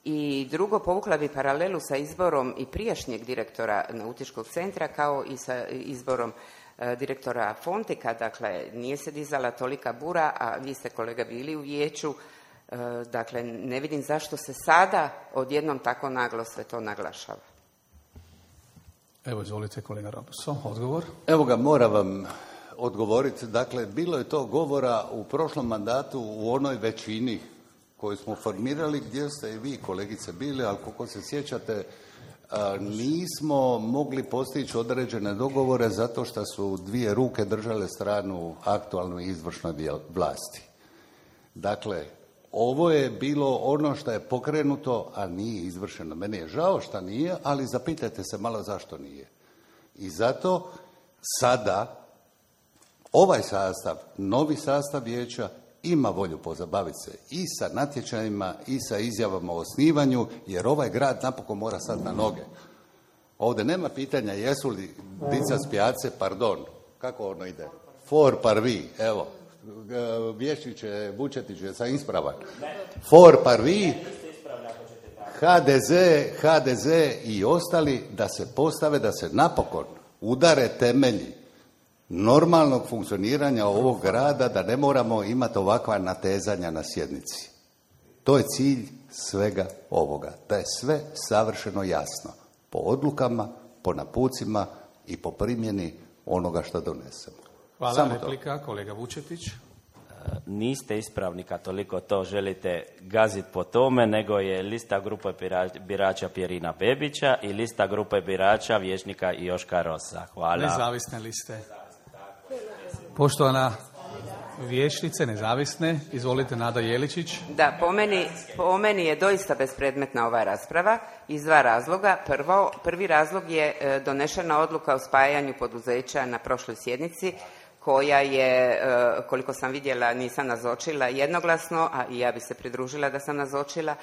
S7: I drugo, povukla bi paralelu sa izborom i prijašnjeg direktora nautičkog centra, kao i sa izborom direktora Fontika. Dakle, nije se dizala tolika bura, a vi ste, kolega, bili u vijeću. Dakle, ne vidim zašto se sada odjednom tako naglo sve to naglašava.
S1: Evo, izvolite, kolega Robuso, odgovor.
S2: Evo ga, moram vam odgovoriti. Dakle, bilo je to govora u prošlom mandatu u onoj većini koju smo formirali, gdje ste i vi, kolegice, bili, ali koliko se sjećate, nismo mogli postići određene dogovore zato što su dvije ruke držale stranu aktualnoj izvršnoj vlasti. Dakle, ovo je bilo ono što je pokrenuto, a nije izvršeno. Meni je žao što nije, ali zapitajte se malo zašto nije. I zato sada ovaj sastav, novi sastav vijeća, ima volju pozabaviti se i sa natječajima i sa izjavama o osnivanju, jer ovaj grad napokon mora sad na noge. Ovdje nema pitanja jesu li dica s pijace, pardon, kako ono ide? For parvi, evo. Vješniče Vučetić je sa ispravan. For parvi, HDZ i ostali da se postave, da se napokon udare temelji normalnog funkcioniranja ovog grada, da ne moramo imati ovakva natezanja na sjednici. To je cilj svega ovoga. Da je sve savršeno jasno. Po odlukama, po napucima i po primjeni onoga što donesemo.
S1: Hvala,
S2: samo
S1: replika, kolega Vučetić.
S5: Niste ispravni kad toliko to želite gaziti po tome, nego je lista grupe birača Pjerina Bebića i lista grupe birača vijećnika Joška Rosa. Hvala.
S1: Nezavisne liste. Poštovana vijećnice, nezavisne, izvolite, Nada Jeličić.
S7: Da, po meni je doista bespredmetna ova rasprava iz dva razloga. Prvi razlog je donešena odluka o spajanju poduzeća na prošloj sjednici, koja je, koliko sam vidjela, nisam nazočila jednoglasno, a i ja bi se pridružila da sam nazočila.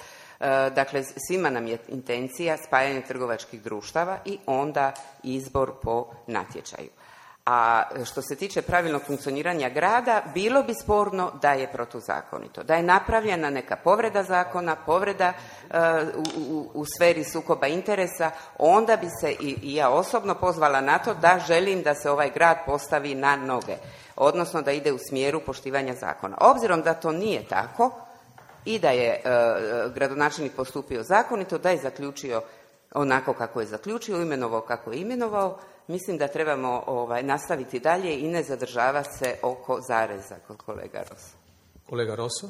S7: Dakle, svima nam je intencija spajanje trgovačkih društava i onda izbor po natječaju. A što se tiče pravilnog funkcioniranja grada, bilo bi sporno da je protuzakonito, da je napravljena neka povreda zakona, povreda u sferi sukoba interesa, onda bi se i ja osobno pozvala na to da želim da se ovaj grad postavi na noge, odnosno da ide u smjeru poštivanja zakona. Obzirom da to nije tako i da je gradonačelnik postupio zakonito, da je zaključio onako kako je zaključio, imenovao kako je imenovao, mislim da trebamo nastaviti dalje i ne zadržavati se oko zareza kod kolega Rosa.
S1: Kolega Roso?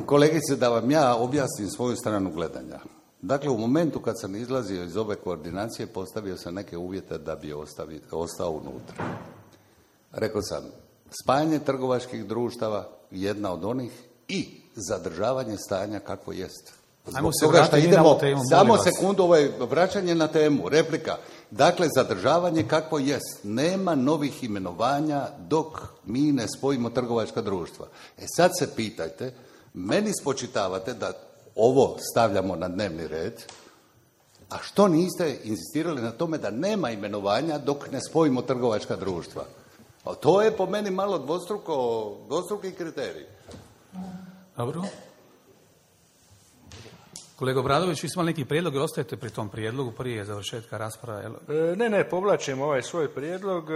S2: Kolegice, da vam ja objasnim svoju stranu gledanja. Dakle, u momentu kad sam izlazio iz ove koordinacije, postavio sam neke uvjete da bi ostao unutra. Rekao sam, spajanje trgovačkih društava, jedna od onih, i zadržavanje stanja kakvo jest.
S1: Ajmo se vratiti na ovu temu.
S2: Samo sekundu, vraćanje na temu, replika. Dakle, zadržavanje kakvo jest. Nema novih imenovanja dok mi ne spojimo trgovačka društva. Sad se pitajte, meni spočitavate da ovo stavljamo na dnevni red, a što niste insistirali na tome da nema imenovanja dok ne spojimo trgovačka društva? To je po meni malo dvostruki kriterij.
S1: Dobro. Kolega Obradović, vi ste imali neki prijedlog i ostajete pri tom prijedlogu prije završetka rasprave?
S4: Ne, povlačim ovaj svoj prijedlog,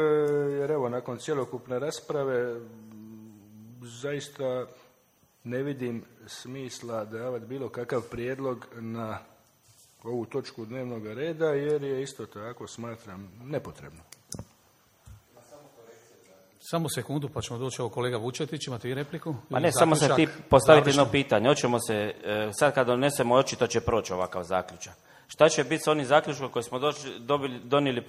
S4: jer evo, nakon cjelokupne rasprave zaista ne vidim smisla davati bilo kakav prijedlog na ovu točku dnevnog reda, jer je isto tako, smatram, nepotrebno.
S1: Samo sekundu, pa ćemo doći ovo kolega Vučetić, imate i repliku?
S5: Pa ne, samo se ti postaviti jedno pitanje. Hoćemo se, sad kad donesemo, očito će proći ovakav zaključak. Šta će biti s onim zaključkom koji smo donijeli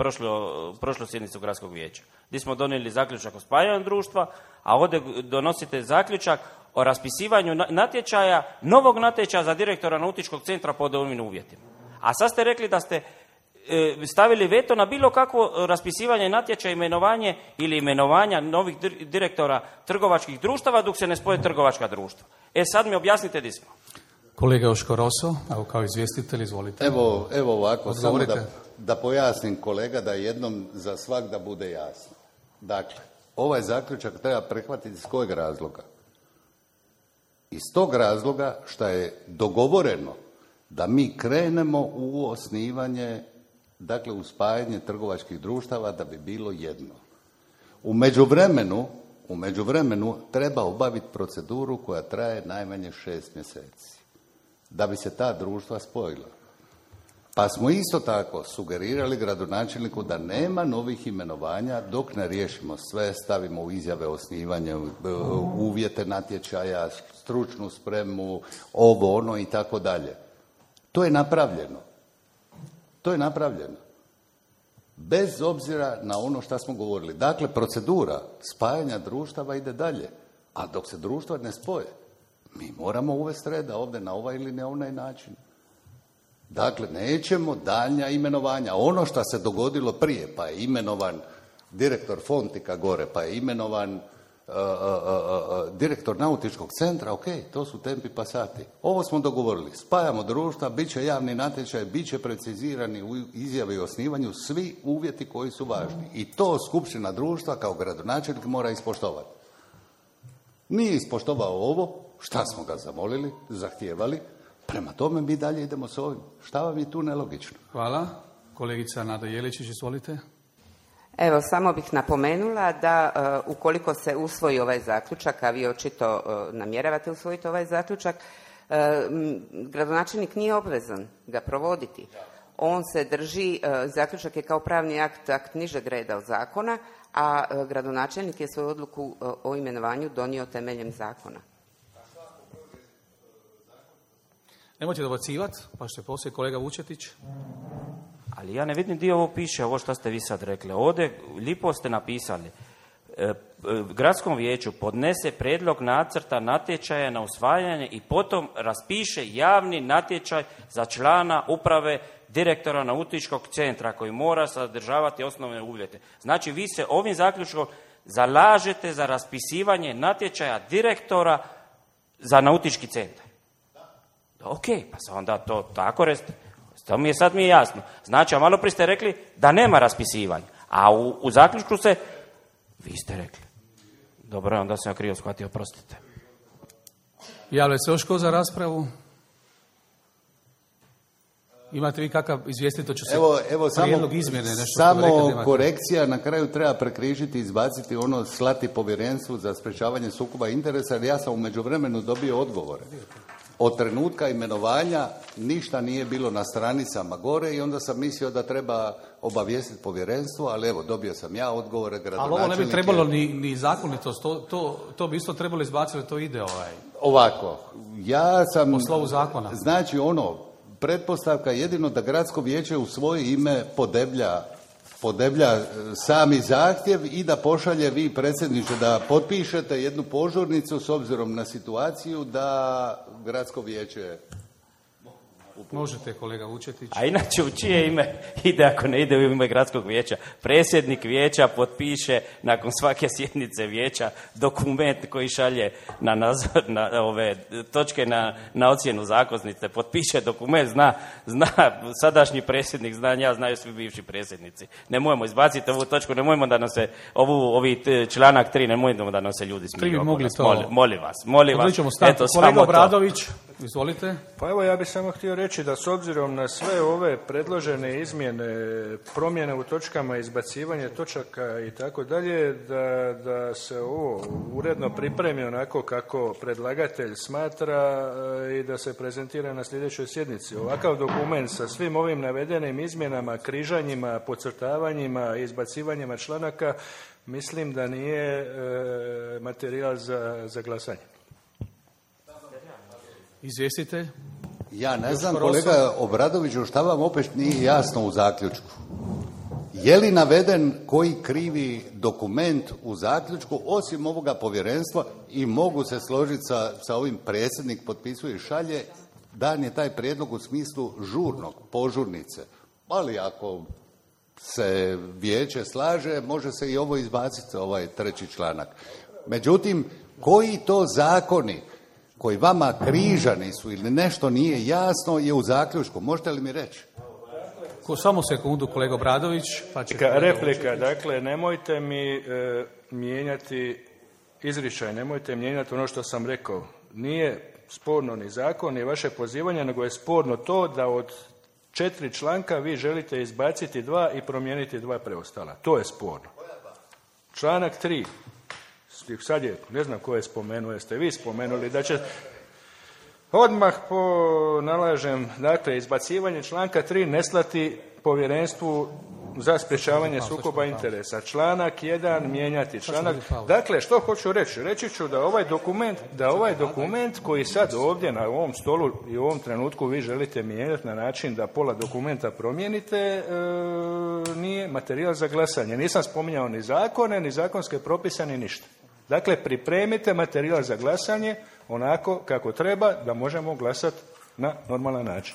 S5: prošlu sjednicu gradskog vijeća? Gdje smo donijeli zaključak o spajanju društva, a ovdje donosite zaključak o raspisivanju natječaja, novog natječaja za direktora nautičkog centra pod ovim uvjetima. A sad ste rekli da ste stavili veto na bilo kakvo raspisivanje natječaja, imenovanje ili imenovanja novih direktora trgovačkih društava dok se ne spoje trgovačka društva. Sad mi objasnite di smo.
S1: Kolega Joško Roso, evo kao izvjestitelj, izvolite.
S2: Evo ovako, samo da pojasnim kolega, da jednom za svak da bude jasno. Dakle, ovaj zaključak treba prihvatiti iz kojeg razloga? Iz tog razloga što je dogovoreno da mi krenemo u osnivanje, dakle u spajanje trgovačkih društava da bi bilo jedno. U međuvremenu treba obaviti proceduru koja traje najmanje 6 mjeseci da bi se ta društva spojila. Pa smo isto tako sugerirali gradonačelniku da nema novih imenovanja dok ne riješimo sve, stavimo u izjave osnivanja, uvjete natječaja, stručnu spremu, ovo, ono i tako dalje. To je napravljeno. Bez obzira na ono što smo govorili. Dakle, procedura spajanja društava ide dalje, a dok se društva ne spoje, mi moramo uvesti reda ovdje na ovaj ili na onaj način. Dakle, nećemo daljnja imenovanja. Ono što se dogodilo prije, pa je imenovan direktor Fontika gore, pa je imenovan direktor nautičkog centra, ok, to su tempi pasati. Ovo smo dogovorili. Spajamo društva, bit će javni natječaj, bit će precizirani u izjavi o osnivanju svi uvjeti koji su važni. I to skupština društva kao gradonačelnik mora ispoštovati. Nije ispoštovao ovo, šta smo ga zamolili, zahtijevali, prema tome mi dalje idemo s ovim. Šta vam je tu nelogično?
S1: Hvala. Kolegica Nada Jeličić, izvolite.
S7: Evo, samo bih napomenula da ukoliko se usvoji ovaj zaključak, a vi očito namjeravate usvojiti ovaj zaključak, gradonačelnik nije obvezan ga provoditi. On se drži, zaključak je kao pravni akt nižeg reda od zakona, a gradonačelnik je svoju odluku o imenovanju donio temeljem zakona.
S1: Nemojte dobacivati, pa što je poslije kolega Vučetić.
S5: Ali ja ne vidim gdje ovo piše, ovo što ste vi sad rekli. Ovdje lipo ste napisali. Gradskom vijeću podnese prijedlog nacrta natječaja na usvajanje i potom raspiše javni natječaj za člana uprave direktora nautičkog centra koji mora sadržavati osnovne uvjete. Znači, vi se ovim zaključkom zalažete za raspisivanje natječaja direktora za nautički centar. Ok, pa se onda to tako reste. To mi je jasno. Znači, a malo prije ste rekli da nema raspisivanja. A u zaključku vi ste rekli. Dobro, onda sam ja krivo shvatio, oprostite.
S1: Javlja se još ko za raspravu? Imate vi kakav izvijestiti, će se
S2: evo
S1: prijedlog izmjene nešto?
S2: Samo korekcija, na kraju treba prekrižiti, izbaciti slati povjerenstvu za sprečavanje sukoba interesa, jer ja sam u međuvremenu dobio odgovore. Od trenutka imenovanja ništa nije bilo na stranicama gore i onda sam mislio da treba obavijestiti povjerenstvo, ali evo, dobio sam ja odgovore gradonačelnike.
S1: Ali ovo ne bi trebalo ni zakonitost, to bi isto trebalo izbaciti, to ide
S2: Ovako, ja sam...
S1: po slovu zakona.
S2: Znači pretpostavka jedino da gradsko vijeće u svoje ime podeblja sami zahtjev i da pošalje vi, predsjedniče, da potpišete jednu požurnicu s obzirom na situaciju da gradsko vijeće...
S1: Možete, kolega Vučetić.
S5: A inače, u čije ime ide ako ne ide u ime gradskog vijeća? Predsjednik vijeća potpiše nakon svake sjednice vijeća dokument koji šalje na ove točke na ocjenu zakonnice. Potpiše dokument, zna sadašnji predsjednik, znaju svi bivši predsjednici. Nemojmo izbaciti ovu točku, nemojmo da nam se članak 3, nemojmo da nam se ljudi smiju. Molim vas.
S1: Eto, kolega Obradović, izvolite.
S4: Pa evo, ja bih samo htio reći da s obzirom na sve ove predložene izmjene, promjene u točkama, izbacivanje točaka i tako dalje, da se ovo uredno pripremi onako kako predlagatelj smatra i da se prezentira na sljedećoj sjednici. Ovakav dokument sa svim ovim navedenim izmjenama, križanjima, podcrtavanjima, izbacivanjima članaka, mislim da nije materijal za glasanje.
S1: Izvjestitelj?
S2: Ja ne znam, kolega Obradoviću, šta vam opet nije jasno u zaključku? Je li naveden koji krivi dokument u zaključku, osim ovoga povjerenstva, i mogu se složiti sa ovim predsjednik potpisuje i šalje, dan je taj prijedlog u smislu požurnice. Ali ako se vijeće slaže, može se i ovo izbaciti, ovaj treći članak. Međutim, koji to zakoni koji vama križani su ili nešto nije jasno je u zaključku. Možete li mi reći?
S1: Samo sekundu, kolega Obradović.
S4: Replika, dakle, nemojte mi mijenjati izričaj, nemojte mijenjati ono što sam rekao. Nije sporno ni zakon, ni vaše pozivanje, nego je sporno to da od 4 članka vi želite izbaciti 2 i promijeniti 2 preostala. To je sporno. Članak 3. Sad je, ne znam ko je spomenuo, jeste vi spomenuli da će odmah nalažem, dakle, izbacivanje članka 3 ne slati povjerenstvu za sprječavanje sukoba interesa. Članak 1 mijenjati. Dakle, što hoću reći? Reći ću da ovaj dokument koji sad ovdje na ovom stolu i u ovom trenutku vi želite mijenjati na način da pola dokumenta promijenite, nije materijal za glasanje. Nisam spominjao ni zakone, ni zakonske propise, ni ništa. Dakle, pripremite materijal za glasanje onako kako treba da možemo glasati na normalan način.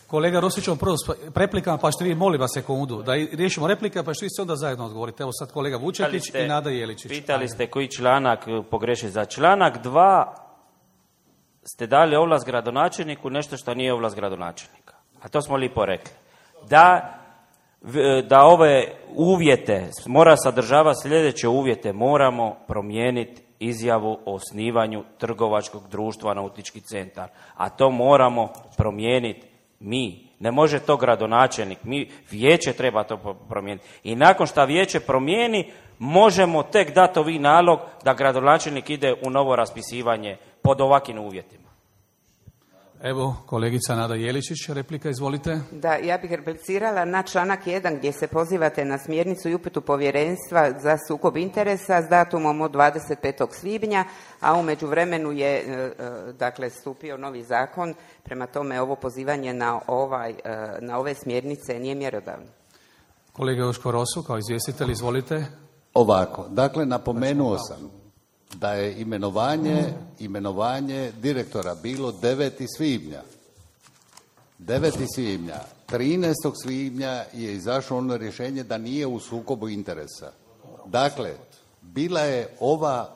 S1: Kolega Rosić, prvo s replikama, pa ćete vi, molim vas sekundu, da riješimo replike, pa ćete vi se onda zajedno odgovoriti. Evo sad kolega Vučetić i Nada Jeličić.
S5: Pitali ste koji članak pogreši. Za članak 2 ste dali ovlast gradonačelniku nešto što nije ovlast gradonačelnika. A to smo lipo rekli. Da ove uvjete, mora sadržavati sljedeće uvjete, moramo promijeniti izjavu o osnivanju trgovačkog društva nautički centar. A to moramo promijeniti mi. Ne može to gradonačelnik. Vijeće treba to promijeniti. I nakon što vijeće promijeni, možemo tek dati ovi nalog da gradonačelnik ide u novo raspisivanje pod ovakvim uvjetima.
S1: Evo, kolegica Nada Jeličić, replika, izvolite.
S7: Da, ja bih replicirala na članak 1 gdje se pozivate na smjernicu i uputu povjerenstva za sukob interesa s datumom od 25. svibnja, a u međuvremenu je dakle stupio novi zakon, prema tome ovo pozivanje na ove smjernice nije mjerodavno.
S1: Kolega Joško Rosu, kao izvjestitelj, izvolite.
S2: Ovako, dakle, napomenuo sam da je imenovanje direktora bilo 9. svibnja. 9. svibnja. 13. svibnja je izašlo ono rješenje da nije u sukobu interesa. Dakle, bila je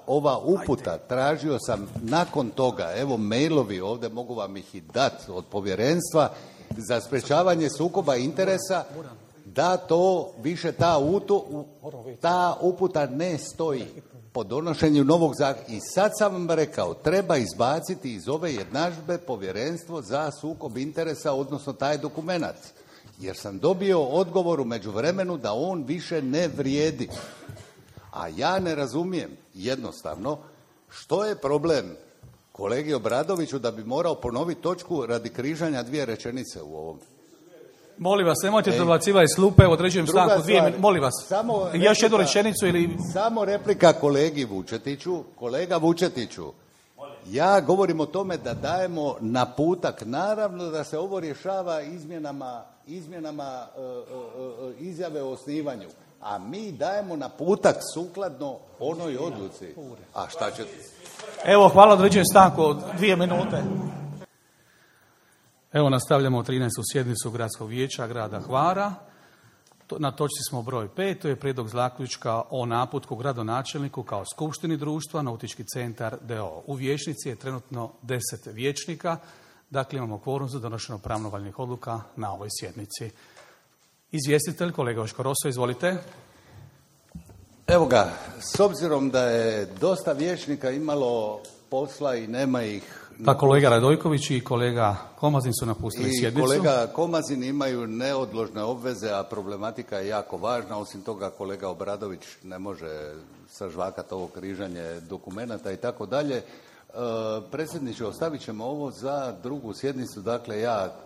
S2: ova uputa. Tražio sam nakon toga, evo mailovi ovdje, mogu vam ih i dati od povjerenstva za sprečavanje sukoba interesa, da to više ta uputa ne stoji po donošenju novog zakona. I sad sam vam rekao, treba izbaciti iz ove jednadžbe povjerenstvo za sukob interesa, odnosno taj dokumenat. Jer sam dobio odgovor u međuvremenu da on više ne vrijedi. A ja ne razumijem jednostavno što je problem kolegi Obradoviću da bi morao ponoviti točku radi križanja dvije rečenice u ovom.
S1: Molim vas, nemojte dobacivati iz klupe, određujem stanku 2 minute. Molim vas, još jednu rečenicu ili...
S2: Samo replika kolegi Vučetiću. Kolega Vučetiću, ja govorim o tome da dajemo naputak. Naravno da se ovo rješava izmjenama izjave o osnivanju. A mi dajemo naputak sukladno onoj odluci. A šta ćete?
S1: Evo, hvala, određujem stanku od 2 minute. Evo, nastavljamo 13. sjednicu Gradskog vijeća grada Hvara. Na točci smo broj 5, to je prijedlog zaključka o naputku gradonačelniku kao skupštini društva Nautički centar d.o.o. U vijećnici je trenutno 10 vijećnika, dakle imamo kvorum za donošenje pravnovaljnih odluka na ovoj sjednici. Izvjestitelj, kolega Joško Roso, izvolite.
S2: Evo ga, s obzirom da je dosta vijećnika imalo posla i nema ih...
S1: Pa kolega Radojković i kolega Komazin su napustili sjednicu.
S2: I kolega Komazin imaju neodložne obveze, a problematika je jako važna. Osim toga, kolega Obradović ne može sažvakati ovo križanje dokumenata i tako dalje. Predsjedniče, ostavit ćemo ovo za drugu sjednicu. Dakle,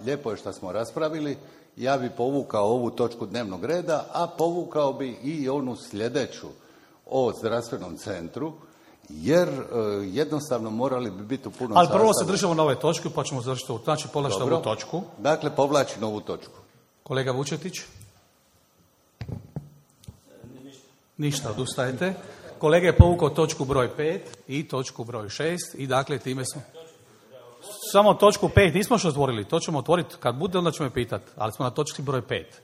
S2: lijepo je što smo raspravili. Ja bi povukao ovu točku dnevnog reda, a povukao bi i onu sljedeću o zdravstvenom centru, jer jednostavno morali bi biti u punom sastavu.
S1: Ali prvo se držimo na ove točke, pa ćemo završiti ovu, znači povlačiti ovu točku.
S2: Dakle, povlači novu točku.
S1: Kolega Vučetić? Ništa, odustajete. Kolega je povukao točku broj 5 i točku broj 6 i dakle time smo... Samo točku 5 nismo još otvorili, to ćemo otvoriti kad bude, onda ćemo je pitati, ali smo na točki broj 5.